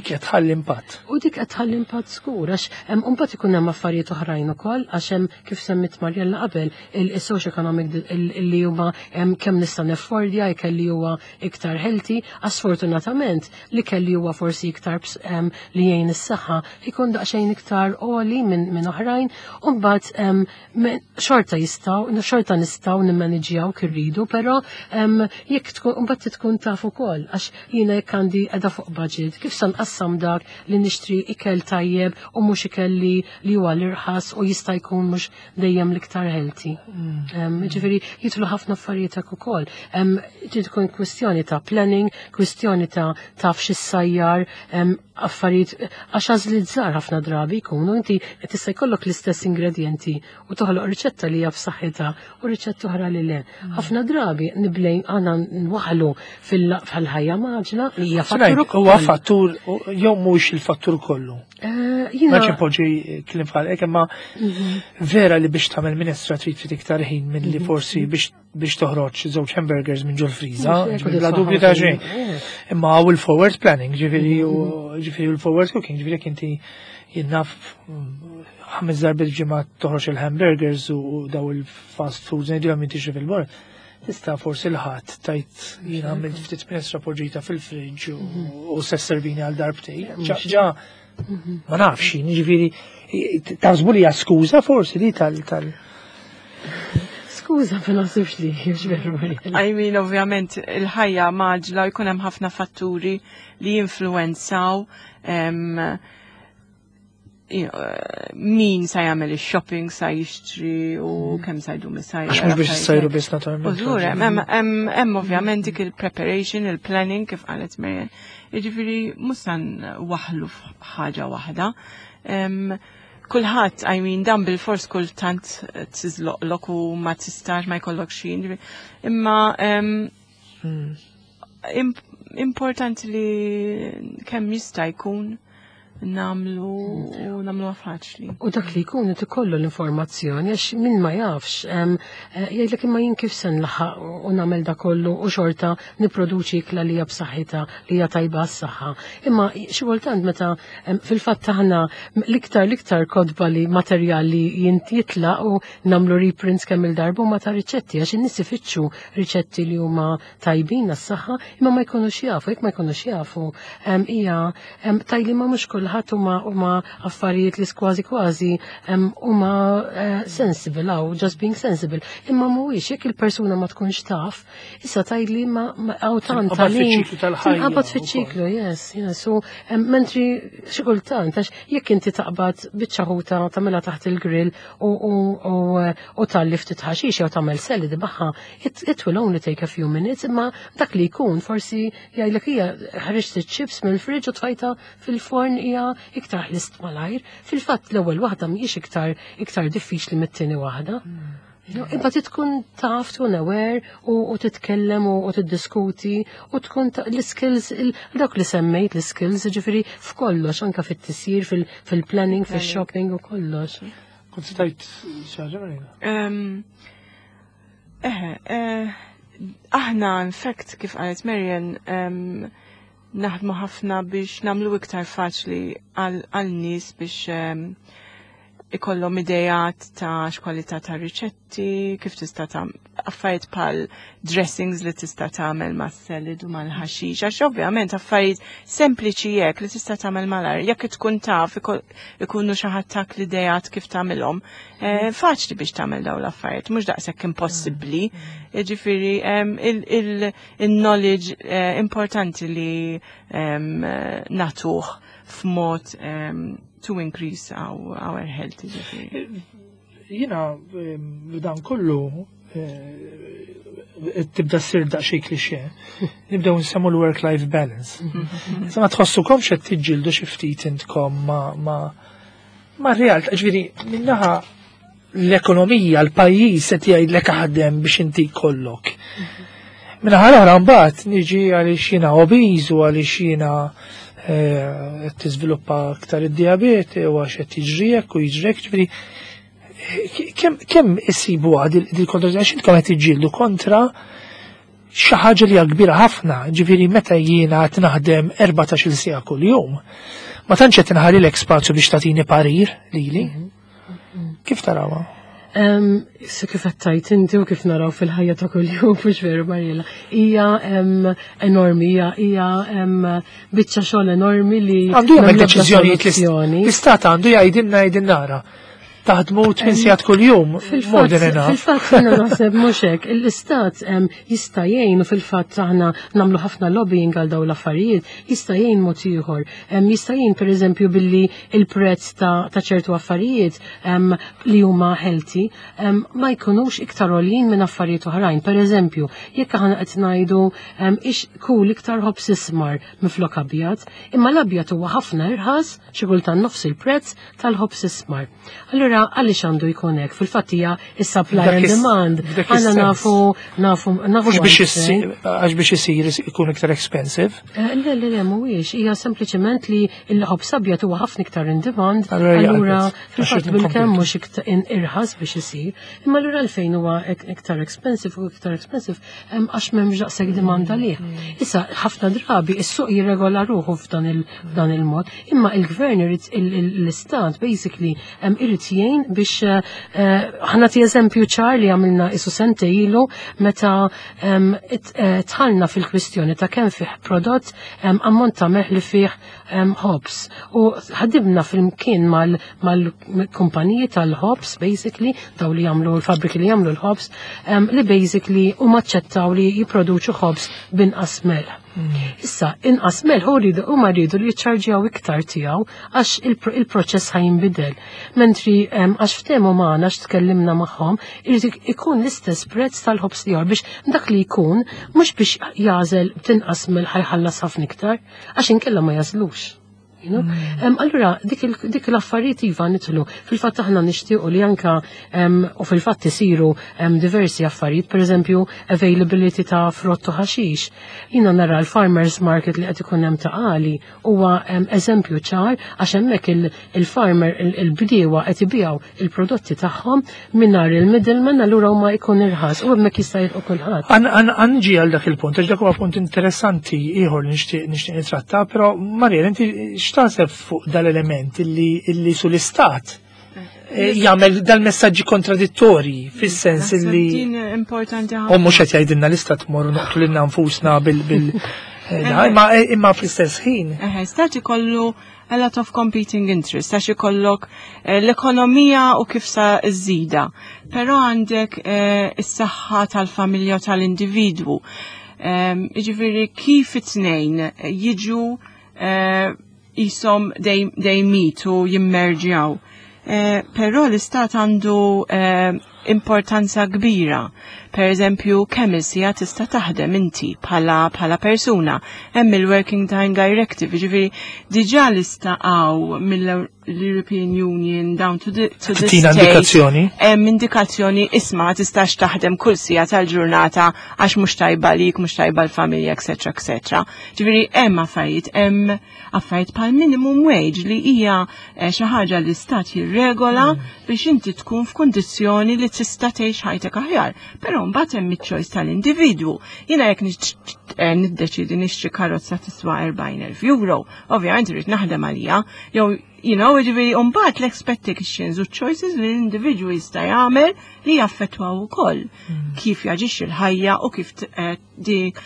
qed tħalli impatt. U dik qed tħalli impatt żgur, għax imbagħad ikun hemm affarijiet oħrajn ukoll, għax hemm kif semmit Marjella qabel il-socio economic li huma kemm nista' neffordja ikel li huwa iktar healthy, għax sfortunatament li kelli huwa forsi iktar li jgħin is-saħħa ikun daqsxejn iktar għoli minn oħrajn, u mbagħad xorta jistgħu, xorta nistgħu nimmaniġjaw kif irridu, però jekk tkun mbagħad tkun taf ukoll, għax jiena jekk għandi qiegħda fuq budget, kif se nqassam dak li nixtri ikel tajjeb u mhux ikel li huwa l-irħas u jista' jkun mhux dejjem l-iktar healthy. Ġifieri jidħlu ħafna affarijiet hekk ukoll. Trid tkun kwistjoni ta' planning, kwistjoni ta' taf x'issajjar, affarijiet għax għażliet żgħar ħafna drabi jkunu inti tista' jkollok l-istess ingredienti u toħloq riċetta li hija b'saħħitha u riċetta oħra li le. Ħafna drabi niblejn għandna nwaħlu fil-ħajja maġla li hija fattur ukoll. Huwa fattur jew mhux il-fattur kollu. Ma ċimpoġi kliem bħal hekk, imma vera li biex tagħmel minestra trid ftit iktar ħin minn li forsi biex toħroġ żewġ hamburgers minn ġol-friża, bla dubju ta' xejn. Imma hawn il-forward planning, ġifieri u ġifieri l-forward cooking, ġifieri jekk inti jinnaf 5 darbiet ġimgħa toħroġ il-hamburgers u daw il-fast foods ngħidilhom inti xi fil-bord. Tista' forsi l-ħadd tajt jien għamilt ftit minestra poġġita fil-friġġ u se servini għal darbtej. Ġa ma nafx, jiġifieri taħsbu li hija skuża forsi li tal Skuża, ma naħsibx li hija veru, Mariella. I mean, ovvjament, il-ħajja maġla jkun hemm ħafna fatturi li jinfluwenzaw min sa jagħmel ix-shopping, sa jixtri u kemm sa jdum isajjar. Għax mhux biex issajru biss naturalment. U żgur, hemm ovvjament dik il-preparation, il-planning kif qalet Marian. Jiġifieri mhux sa nwaħħlu f'ħaġa waħda. Kulħadd, I mean, dan bil-fors kultant tiżloqlok u ma tistax ma jkollok xi. Imma importanti li kemm jista' jkun namlu u namlu faċli. U dak li jkun qed ikollu l-informazzjoni, għax min ma jafx, jgħidlek imma jien kif se nlaħaq u nagħmel da kollu u xorta nipproduċi ikla li hija b'saħħitha, li hija tajba għas-saħħa. Imma xi kultant meta fil-fatt aħna l-iktar kodba li materjali jitla u nagħmlu reprints kemm il-darba ma ta' riċetti, għax in-nies ifittxu riċetti li huma tajbin għas-saħħa, imma ma jkunux jafu, jekk ma jkunux jafu, hija tajli ma mhux kulħadd huma affarijiet li kważi kważi huma sensible, aw just being sensible. Imma mhuwiex jekk il-persuna ma tkunx taf, issa tajli ma hawn tant Tinqabad għalin. fiċ-ċiklu tal-ħajja Tinqabad ukoll. fiċ-ċiklu, yes, yes. U mentri xi kultant, għax jekk inti taqbad biċċa ħuta tagħmilha taħt il-grill u talli ftit ħaxix jew tagħmel salad magħha, it will only take a few minutes, imma dak li jkun forsi jgħidlek hija ħriġt iċ-chips mill-friġġ u tfajta fil-forn hija iktar ħlist malajr. Fil-fatt l-ewwel waħda mhijiex iktar diffiċli mit-tieni waħda. Imma tkun taf, tkun aware u titkellem u tiddiskuti u tkun l-skills, dak li semmejt l-skills, ġifieri f'kollox, anka fit-tisjir, fil-planning, fil-shopping u kollox. Kont stajt xi ħaġa, Marina? Aħna, in fact, kif qalet Marian, naħdmu ħafna biex namlu iktar faċli għal nies biex ikollhom idejat ta' x'kwalità ta' riċetti, kif tista' Affarijiet bħal dressings li tista' tagħmel mas-salad u mal-ħaxix, għax ovvjament affarijiet sempliċi hekk li tista' tagħmel malajr, jekk tkun taf ikunu xi ħadd tak l-ideat kif tagħmilhom, faċli biex tagħmel dawn l-affarijiet, mhux daqshekk impossibbli. Jiġifieri il-knowledge importanti li nagħtuh f'mod to increase our health. Jiġifieri. Jiena dan kollu tibda ssir daqsxejn klixe. Nibdew nsemmu l-work-life balance. Sa ma tħossukomx qed tiġġieldu xi ftit intkom ma realtà, ġifieri minnaħa l-ekonomija, l-pajjiż qed jgħidlek aħdem biex inti kollok. Minnaħa l-oħra mbagħad niġi għaliex jiena obese u għaliex jiena qed tiżviluppa aktar id-diabete u għax qed jiġri u jiġri, ġifieri kemm isibu dil kontra, għax intkom qed tiġġieldu kontra xi ħaġa li hija kbira ħafna, ġifieri meta jiena qed naħdem 14-il siegħa kuljum, ma tantx qed inħallilek spazju biex tagħtini parir lili. Kif tarawha? So kif għedt inti u kif naraw fil-ħajja ta' kuljum, mhux veru, Mariela, hija enormi, hija biċċa xogħol enormi li Għandu jagħmel deċiżjonijiet, l-istat għandu jgħidilna nara. Taħdmu 8 sigħat kuljum, more than enough. Fil-fatt jiena naħseb mhux hekk, l-istat jista' jgħin u fil-fatt aħna nagħmlu ħafna lobbying għal dawn l-affarijiet, jista' jgħin mod ieħor. Jista' jgħin pereżempju billi il-prezz ta' ċertu affarijiet li huma healthy ma jkunux iktar għoljin minn affarijiet oħrajn. Pereżempju, jekk aħna qed ngħidu ix kul iktar ħobż ismar miflok abjad, imma l-abjad huwa ħafna irħas, xi kultant nofs il-prezz tal-ħobż ismar. Allura għaliex għandu jkun hekk? Fil-fatt hija is-supply and demand. Aħna nafu nafu nafu. Mhux biex għax biex isir ikun iktar expensive. Le, le, le, mhuwiex, hija sempliċement li l-ħobż abjad huwa ħafna iktar in demand, allura fil-fatt bil-kemm mhux iktar irħas biex isir. Imma allura għalfejn huwa iktar expensive u iktar expensive għax m'hemmx daqshekk demand għalih. Issa ħafna drabi is-suq jirregola ruħu f'dan il-mod, imma il-gvern irid, l-istat basically irid jgħin biex ħa nagħti eżempju ċar li għamilna isu sentejn ilu meta dħalna fil-kwistjoni ta' kemm fih prodott ammont ta' melħ li fih ħobż. U ħadimna flimkien mal-kumpaniji tal-ħobż, basically, daw li jagħmlu l-fabriki li jagħmlu l-ħobż, li basically huma aċċettaw li jipproduċu ħobż binqas melħ. Issa, inqas melħ u rridu u ma rridu li jiċċarġjaw iktar tiegħu għax il-proċess ħa jinbidel. Mentri għax ftehmu magħna, għax tkellimna magħhom, irid ikun l-istess prezz tal-ħobż ieħor biex dak li jkun mhux biex jagħżel b'tinqas melħ ħa jħallas ħafna iktar, għax inkella ma jagħżlux. You know? Allura, dik l-affarijiet iva nidħlu. Fil-fatt aħna nixtiequ li anka u fil-fatt isiru diversi affarijiet, per eżempju, availability ta' frott u ħaxix. Jiena nara l-farmers market li qed ikun hemm Ta' Qali huwa eżempju ċar għax hemmhekk il-farmer, il-bdiewa qed ibigħu il-prodotti tagħhom mingħajr il-middleman, allura huma jkun irħas u hemmhekk jista' jilħu kulħadd. Anġi għal dak il-punt, għax dak huwa punt interessanti ieħor li nixtieq nitratta, però Mariel, inti x'taħseb fuq dal-element illi sul-istat jagħmel dal-messaġġi kontradittorji fis-sens illi Din importanti U mhux qed jgħidilna l-istat morru noqtlu lilna nfusna bil imma fl-istess ħin. Eħe, stat ikollu a lot of competing interests, għax ikollok l-ekonomija u kif sa żżida. Però għandek is-saħħa tal-familja u tal-individwu. Jiġifieri kif it-tnejn jiġu jisom they meet u jimmerġjaw. Però l-istat għandu importanza kbira. Per eżempju, kemm il-siegħa tista' taħdem inti bħala persuna. Hemm il-Working Time Directive, ġifieri diġà l-istat għaw mill-European Union down to the Tina state. Indikazzjoni. Hemm indikazzjoni, isma' ma tistax taħdem kull siegħa tal-ġurnata għax mhux tajba lik, mhux tajba l-familja, etc. etc. Ġifieri hemm affarijiet bħal minimum wage li hija xi ħaġa li stat jirregola biex inti tkun f'kundizzjoni li tista' tgħix ħajtek aħjar. Però mbagħad hemm iċ-choice tal-individwu. Jiena jekk niddeċidi nixtri karozza tiswa 40,000 euro, ovvjament irid naħdem għalija, jew You know, ġifieri mbagħad l-expectations u choices li l-individwu jista' jagħmel li jaffettwaw ukoll kif jaġixxi l-ħajja u kif dik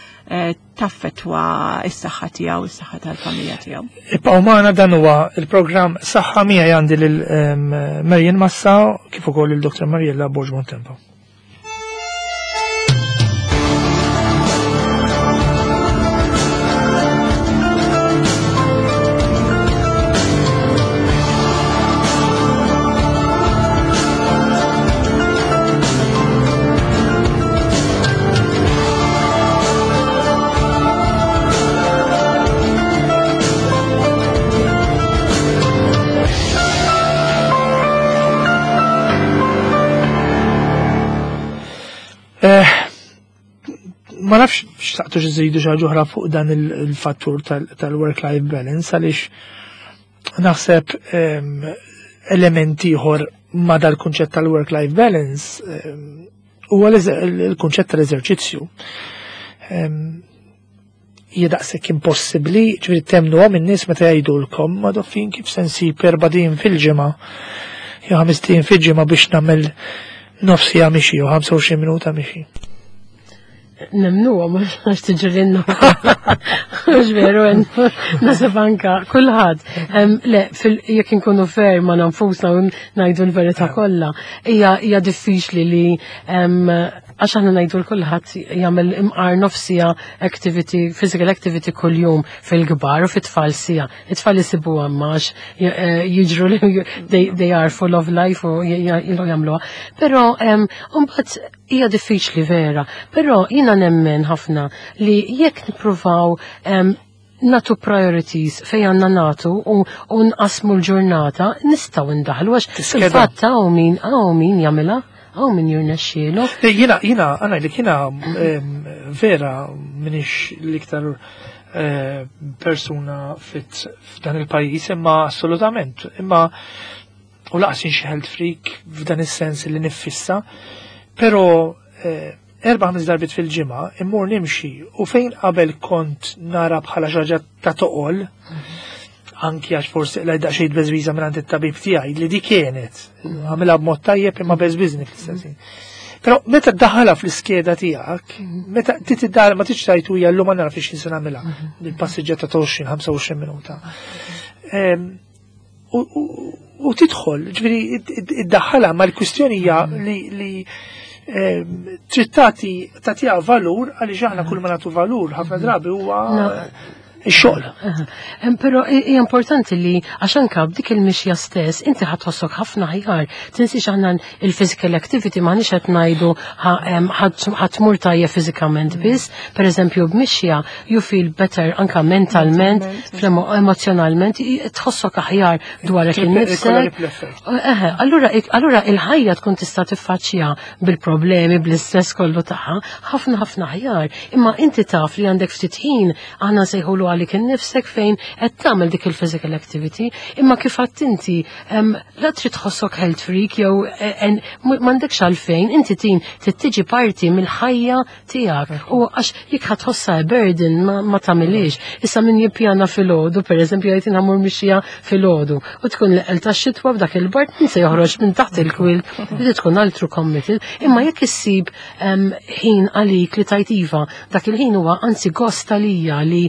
taffettwa s-saħħa tiegħu, is-saħħa tal-familja tiegħu. Ibqgħu magħna, dan huwa il-programm Saħħa. Miegħi għandi lil Marian Massa kif ukoll il-Dr. Mariella Borg Bontempo. Ma nafx xtaqtu x'żidu xi ħaġa oħra fuq dan il-fattur tal-work-life balance, għaliex naħseb elementi ieħor ma dal-kunċett tal-work-life balance huwa il-kunċett tal-eżerċizzju. Hija daqshekk impossibbli, ġifieri temnuhom in-nies meta jgħidulkom ma doffin kif se nsib 4 ijiem fil-ġimgħa jew 5 ijiem fil-ġimgħa biex nagħmel nofs siegħa mixi jew 25 minuta mixi. Nemnu, għax tiġrinna. Mhux veru, naħseb anka, kulħadd. Le, jekk inkunu fair ma' nfusna u ngħidu l-verità kollha, hija diffiċli li għax aħna ngħidu l kulħadd jagħmel imqar nofs siegħa activity, physical activity kuljum fil-kbar u fit-tfal siegħa. It-tfal jisibu għammax jiġru li they are full of life u jilu jagħmluha. Però mbagħad hija diffiċli vera, però jiena nemmen ħafna li jekk nippruvaw nagħtu priorities fej għandna nagħtu u nqasmu l-ġurnata, nistgħu ndaħlu għax Tiskeda. fil-fatt hawn min jagħmilha, hawn min jirnexxielu. Jiena, għana li jiena vera m'iniex l-iktar persuna fit f'dan il-pajjiż, imma assolutament, imma u lanqas xi health freak f'dan is-sens li niffissa, pero 4-5 darbit fil-ġimgħa immur nimxi u fejn qabel kont nara bħala xi ħaġa ta' toqol, anki għax forsi la daqsxejn beżbiża minn it-tabib tiegħi li di kienet għamilha b'mod tajjeb imma beżbiżni fl-istess ħin. Però meta ddaħħalha fl-iskeda tiegħek, meta titiddaħħal ma tix tajtu hija llum ma nara fiex se nagħmilha il-passiġġata ta' 20-25 minuta. U tidħol, ġifieri iddaħħalha, ma l-kwistjoni hija li trid tagħtiha valur, għaliex aħna kull ma nagħtu valur ħafna drabi huwa No. ix-xogħol. Però hija importanti li għax anka b'dik il-mixja stess inti ħa tħossok ħafna aħjar. Tinsiex aħna il-physical activity m'aħniex qed ngħidu ħa tmur tajjeb fiżikament biss. Per eżempju b'mixja you feel better anka mentalment, emozjonalment, tħossok aħjar dwarek Ikollha innifsek. ripple effect. Eħe, allura il-ħajja tkun tista' tiffaċċja bil-problemi, bl-istress kollu tagħha, ħafna ħafna aħjar. Imma inti taf li għandek ftit ħin, aħna nsejħulu għalik innifsek, fejn qed tagħmel dik il-physical activity, imma kif għedt inti la trid tħossok health freak jew m'għandekx għalfejn, inti tin trid tiġi parti mill-ħajja tiegħek. U għax jekk ħa tħossha burden ma tagħmilix. Issa min jippjana filgħodu, pereżempju jgħid ħa mmur mixija filgħodu, u tkun l-eqqel tax-xitwa b'dak il-bard, min se joħroġ minn taħt il-quilt, li tkun altru committed, imma jekk issib ħin għalik li tajt iva, dak il-ħin huwa anzi gost għalija li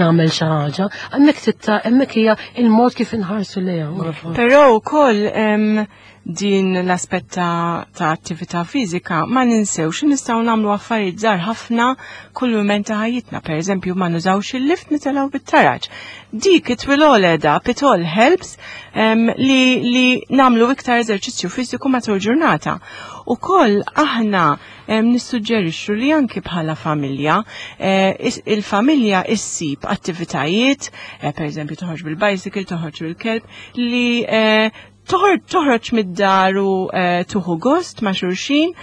nagħmel xi ħaġa, hemmhekk titta hemmhekk hija il-mod kif inħarsu lejha. Però wkoll din l-aspett ta' attività fiżika ma ninsewx li nistgħu nagħmlu affarijiet żgħar ħafna kull mument ta' ħajjitna. Per eżempju, ma nużawx il-lift, nitilgħu bit-taraġ. Dik it will all add up, it all helps li nagħmlu iktar eżerċizzju fiżiku matul ġurnata. Ukoll aħna nissuġġerixxu li anki bħala familja, il-familja issib attivitajiet, per eżempju toħroġ bil-bicycle, toħroġ bil-kelb, li toħroġ mid-dar u tieħu gost ma' xulxin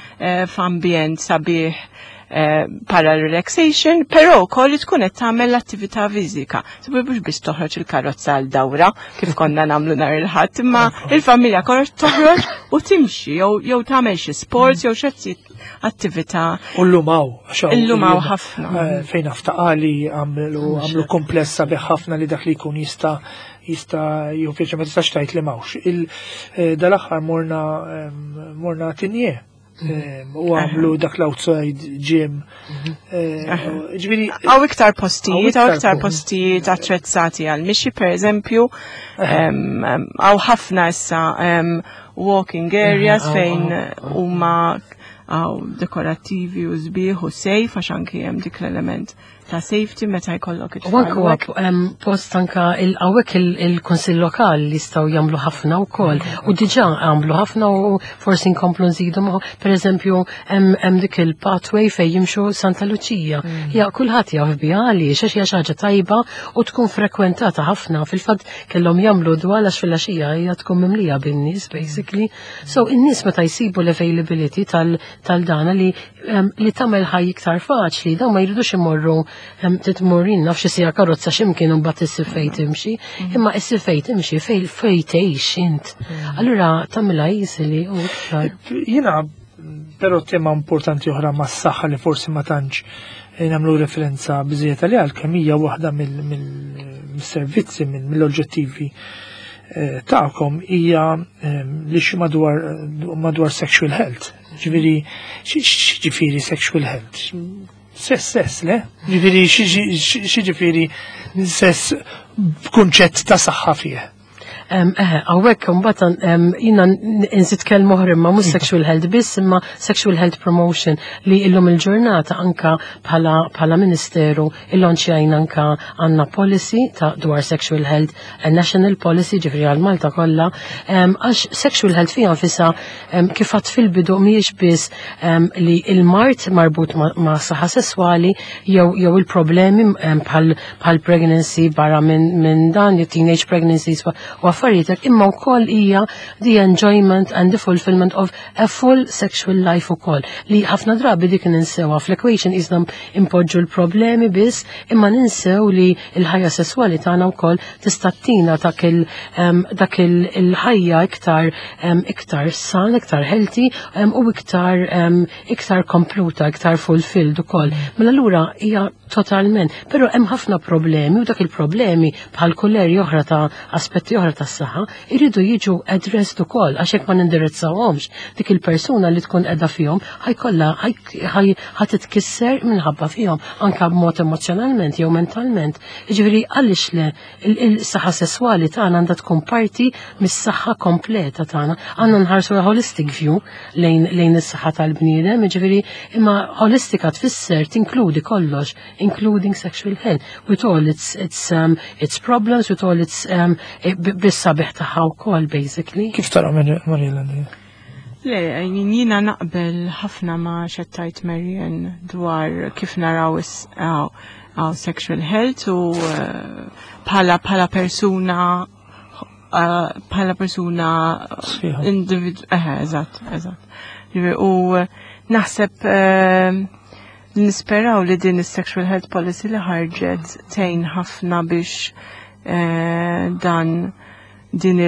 f'ambjent sabiħ para relaxation, però wkoll li tkun qed tagħmel l-attività fiżika. Sabi mhux biss toħroġ il-karozza għal dawra kif konna nagħmlu nhar il-Ħadd, imma il-familja kollha toħroġ u timxi jew tagħmel xi sports jew xi attività. U llum hawn, għax hawn Illum hawn illum, ħafna. Fejn aftaqali għamlu komplessa sabiħ ħafna li dak li jkun jista' jista' jieħu pjaċir, ma tistax tgħid li m'hawnx. Dal-aħħar morna Tigné u għamlu dak l-outside gym. Ġifieri Hawn iktar postijiet, hawn iktar postijiet attrezzati għal mixi, per eżempju, hawn ħafna issa walking areas fejn huma hawn dekorattivi u sbieħ u safe, għax anki hemm dik l-element ta' safety meta jkollok it-tfal. U anke huwa post anka hawnhekk il-Kunsill Lokali li jistgħu jagħmlu ħafna wkoll. U diġà għamlu ħafna u forsi nkomplu nżidu magħhom. Per eżempju, hemm dik il-pathway fejn jimxu Santa Luċija. Ja, kulħadd jaf biha għaliex, għax hija xi ħaġa tajba u tkun frekwentata ħafna. Fil-fatt kellhom jagħmlu dwal għax fil-għaxija hija tkun mimlija bin-nies basically. So in-nies meta jsibu l-availability tal-dana li tagħmel ħaj iktar faċli, dawn ma jridux imorru titmur naf xi sija karozza x'imkien u mbagħad issib fejn timxi, imma issib fejn timxi fejn tgħix int. Allura tagħmilha easily u iktar. Jiena però tema importanti oħra mas-saħħa li forsi ma tantx nagħmlu referenza biżejjed għaliha, għalkemm hija waħda mill-servizzi, mill-oġġettivi tagħkom, hija li xi madwar sexual health. Ġifieri, xi ġifieri sexual health? Sess, sess, le? Ġifieri, xi ġifieri sess b'kunċett ta' saħħa fih? Hawnhekk mbagħad jiena nżid kelma oħra, imma mhux sexual health biss, imma sexual health promotion li illum il-ġurnata anka bħala ministeru illonċjajna anka għandna policy ta' dwar sexual health, a national policy, ġifieri għal Malta kollha, għax sexual health fiha nfisha, kif għedt fil-bidu, mhijiex biss li il-mard marbut ma' saħħa sesswali jew il-problemi bħal pregnancy barra minn dan, jew teenage pregnancies u affarijiet, imma wkoll hija the enjoyment and the fulfillment of a full sexual life ukoll, li ħafna drabi dik ninsewha fl-equation, iżda impoġġu l-problemi biss, imma ninsew li l-ħajja sesswali tagħna wkoll tista' tina dak il-ħajja iktar san, iktar healthy u iktar kompluta, iktar fulfilled ukoll. Mela allura hija totalment, però hemm ħafna problemi u dak il-problemi bħal kull area oħra ta' aspetti oħra tas-saħħa iridu jiġu addressed ukoll, għax hekk ma nindirizzawhomx, dik il-persuna li tkun qiegħda fihom ħajkollha ħa titkisser minħabba fihom anka b'mod emozjonalment jew mentalment. Jiġifieri għaliex le il-saħħa sesswali tagħna għandha tkun parti mis-saħħa kompleta tagħna. Għandna nħarsu holistic view lejn is-saħħa tal-bniedem, jiġifieri imma holistika tfisser tinkludi kollox, including sexual health, with all its problems, with all its bis-sabiħ tagħha wkoll basically. Kif tara, Mariella? Le, jiena naqbel ħafna ma' x'għidt Marian dwar kif naraw għaw sexual health u bħala persuna Sħiħa. Individu, eżatt. Ġifieri, u naħseb nisperaw li din is-sexual health policy li ħarġet tgħin ħafna biex dan din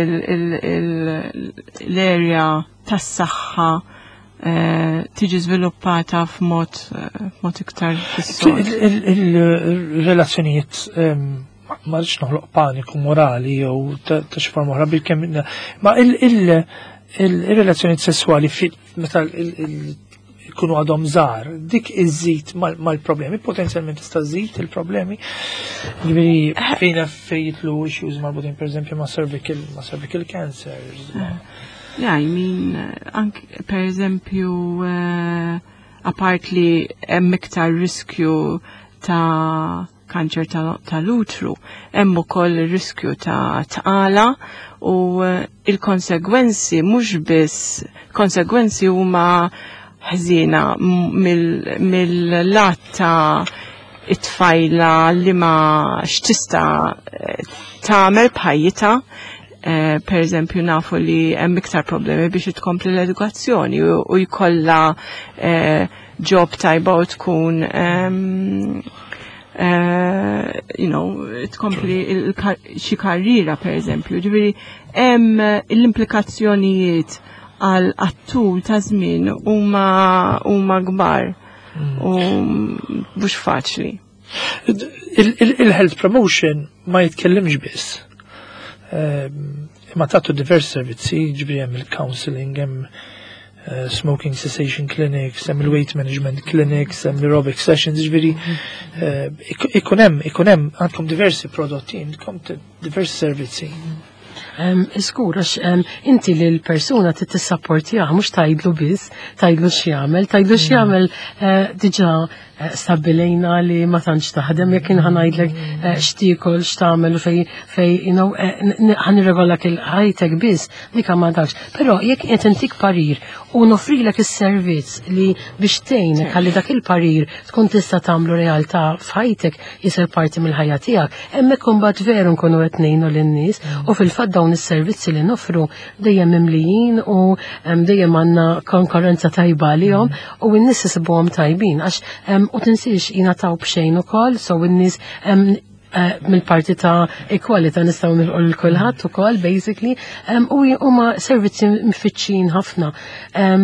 l-area tas-saħħa tiġi żviluppata f'mod iktar fis-sod. Il-relazzjonijiet, ma rridx noħloq paniku morali jew ta' xi forma oħra bil-kemm, ma il-relazzjonijiet sessuali meta ikunu għadhom żgħar, dik iżid mal-problemi, potenzjalment tista' żżid il-problemi. Ġifieri fejn fejn jidħlu issues marbutin, pereżempju, ma' cervical cancers. Yeah, I mean, ank, per eżempju, apart li hemm iktar riskju ta' kanċer tal-utru, hemm ukoll riskju ta' tqala u il-konsegwenzi mhux biss konsegwenzi huma ħżiena mill-lat ta' it-tfajla li ma x'tista' tagħmel b'ħajjitha. Per eżempju, nafu li hemm iktar problemi biex tkompli l-edukazzjoni u jkollha job tajba u tkun tkompli xi karriera, per eżempju. Ġifieri hemm l-implikazzjonijiet għal għat-tul ta' żmien huma kbar u mhux faċli. Il-health promotion ma jitkellimx biss Imma tagħtu diversi servizzi, ġifieri hemm il-counseling, hemm smoking cessation clinics, hemm il-weight management clinics, hemm aerobic sessions, ġifieri ikun hemm ikun hemm għandkom diversi prodotti, għandkom diversi servizzi. Żgur, għax inti li l-persuna trid tissapportjah, mhux tgħidlu biss, tgħidlu x'jagħmel, tgħidlu x'jagħmel diġà stabbilejna li ma tantx taħdem jekk jien ħanajdlek x'tiekol, x'tagħmel u fej ħa nirregolak il-ħajtek biss, dik ma dakx. Però jekk qed intik parir u nofrilek is-servizz li biex tgħinek ħalli dak il-parir tkun tista' tagħmlu realtà f'ħajtek, jisir parti mill-ħajja tiegħek, hemmhekk imbagħad veru nkunu qed ngħinu lin-nies u fil-fatt dawn is-servizzi li nofru dejjem mimlijin u dejjem għandna konkurrenza tajba għalihom u n-nies isibuhom tajbin għax u tinsiex jingħataw b'xejn ukoll, so n-nies mill-parti ta' equality nistgħu nilqu lil kulħadd ukoll basically u huma servizzi mfittxin ħafna.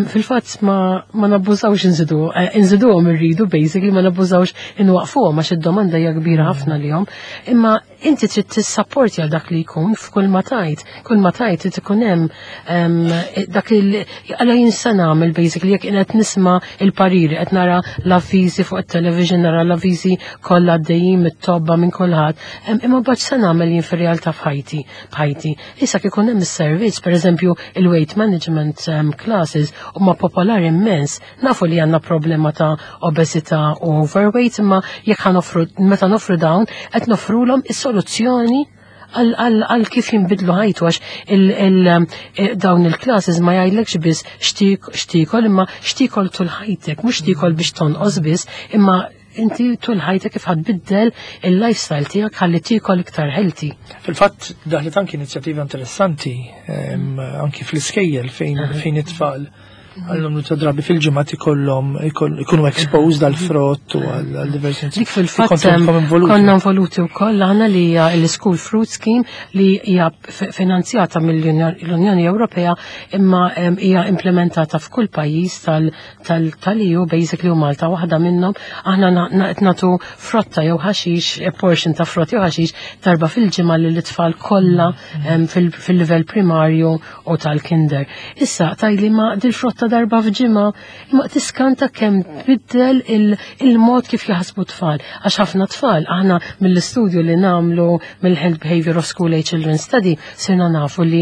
Fil-fatt ma nabbużawx inżiduhom irridu basically, ma nabbużawx inwaqfuhom għax id-domanda hija kbira ħafna lihom. Imma inti trid tissapporti għal dak li jkun f'kull ma tajt, kull ma tajt trid ikun hemm dak il għala jien se nagħmel basically jekk qed nisma' il-pariri, qed nara l-avviżi fuq it-television, nara l-avviżi kollha għaddejjin mit-tobba minn kulħadd, imma mbagħad se nagħmel jien fir-realtà f'ħajti. Issa kif ikun hemm is-servizz, pereżempju il-weight management classes huma popolari immens. Nafu li għandna problema ta' obesità u overweight, imma jekk ħa nofru, meta nofru dawn, qed nofrulhom is-soluzzjoni għal kif jinbidlu ħajtu, għax dawn il-classes ma jgħidlekx biss x'tiekol, imma x'tiekol tul ħajtek, mhux x'tiekol biex tonqos biss, imma inti tul ħajtek kif ħa tbiddel il-lifestyle tiegħek ħalli tiekol iktar healthy. Fil-fatt daħlet anki inizjattiva interessanti anki fl-iskejjel fejn it-tfal għal numru ta' drabi fil-ġimgħa ikollhom ikunu exposed għal frott u għal diversi Dik fil-fatt Kontu intom involuti. konna involuti wkoll aħna li hija l-School Fruit Scheme li hija finanzjata mill-Unjoni Ewropea imma hija implementata f'kull pajjiż tal-EU basically u Malta waħda minnhom. Aħna qed nagħtu frotta jew ħaxix, a portion ta' frott jew ħaxix darba fil-ġimgħa lil it-tfal kollha fil-livell primarju u tal-kinder. Issa tajli ma dil-frotta darba f'ġimgħa, imma tiskanta kemm tbiddel il-mod kif jaħsbu tfal. Għax ħafna tfal, aħna mill-istudju li nagħmlu mill-Health Behavior of School Age Children Study, sirna nafu li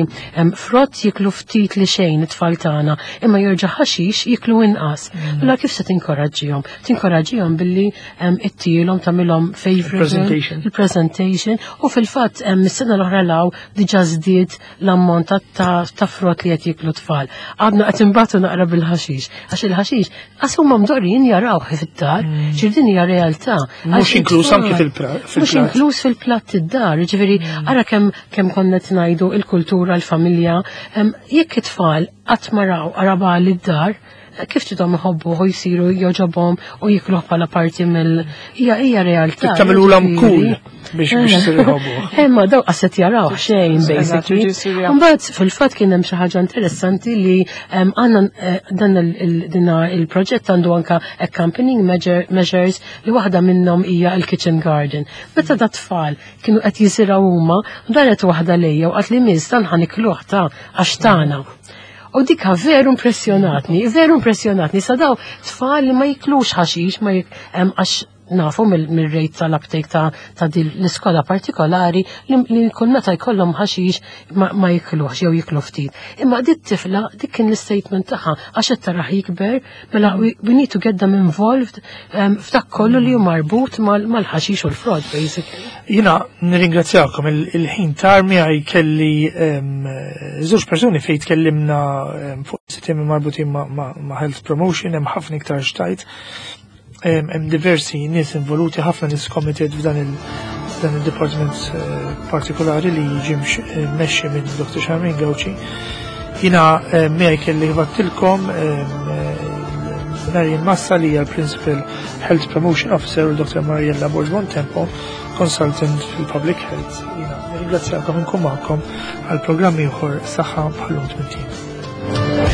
frott jiklu ftit li xejn it-tfal tagħna, imma jerġa' ħaxix jiklu inqas. Allura kif se tinkoraġġihom? Tinkoraġġihom billi ittilhom tagħmilhom favorite Presentation. il-presentation, u fil-fatt is-sena l-oħra law diġà żdied l-ammont ta' frott li qed jiklu tfal. Għadna qed imbagħtu naqra bil-ħaxix, għax il-ħaxix għax huma mdorrijin jarawh fid-dar, ġifieri din hija realtà. Mhux Għax inkluż it-tfal anki Mhux fil-platt. inkluż fil-platt id-dar, ġifieri ara kemm konna qed ngħidu il-kultura, l-familja, jekk it-tfal qatt ma raw araba lid-dar, kif tidhom iħobbu u jsiru joġobhom u jikluh bħala parti mill hija realtà. Tagħmilulhom ġifieri. cool biex isiru jħobbu. Ma daw qaset jaraw xejn Eżatt, basically. jiġu jsiru jafu. Mbagħad fil-fatt kien hemm xi ħaġa interessanti li għandna dan dina il-proġett għandu anka accompanying measures li waħda minnhom hija l-kitchen garden. Meta da tfal kienu qed jiżirgħu huma, daret waħda lejja u qalt li miss dan ħa nikluh ta' għax tagħna. U dika veru impressjonatni, veru impressjonatni. Sa daw tfal li ma jiklux ħaxix, ma għax nafu mill-rate tal-uptake ta' din l-iskola partikolari li kull meta jkollhom ħaxix ma jiklux jew jiklu ftit. Imma dit tifla dik kien l-statement tagħha għax qed taraħ jikber, mela we need to get them involved f'dak kollu li hu marbut mal-ħaxix u l-frott basically. Jiena nirringrazzjakom il-ħin tarmi għaj kelli żewġ persuni fejn tkellimna fuq sistemi marbutin ma' health promotion, hemm ħafna iktar xtajt. Hemm diversi nies involuti, ħafna nies committed f'dan il-department partikolari li jiġi mmexxi minn Dr. Charmaine Gauci. Jiena miegħi kelli ħbattilkom Marian Massa li hija l-Principal Health Promotion Officer u Dr. Mariella Borg Bontempo, Consultant fil-Public Health. Jiena nirringrazzjakom inkun magħkom għal programm ieħor Saħħa bħal-lum tmintien.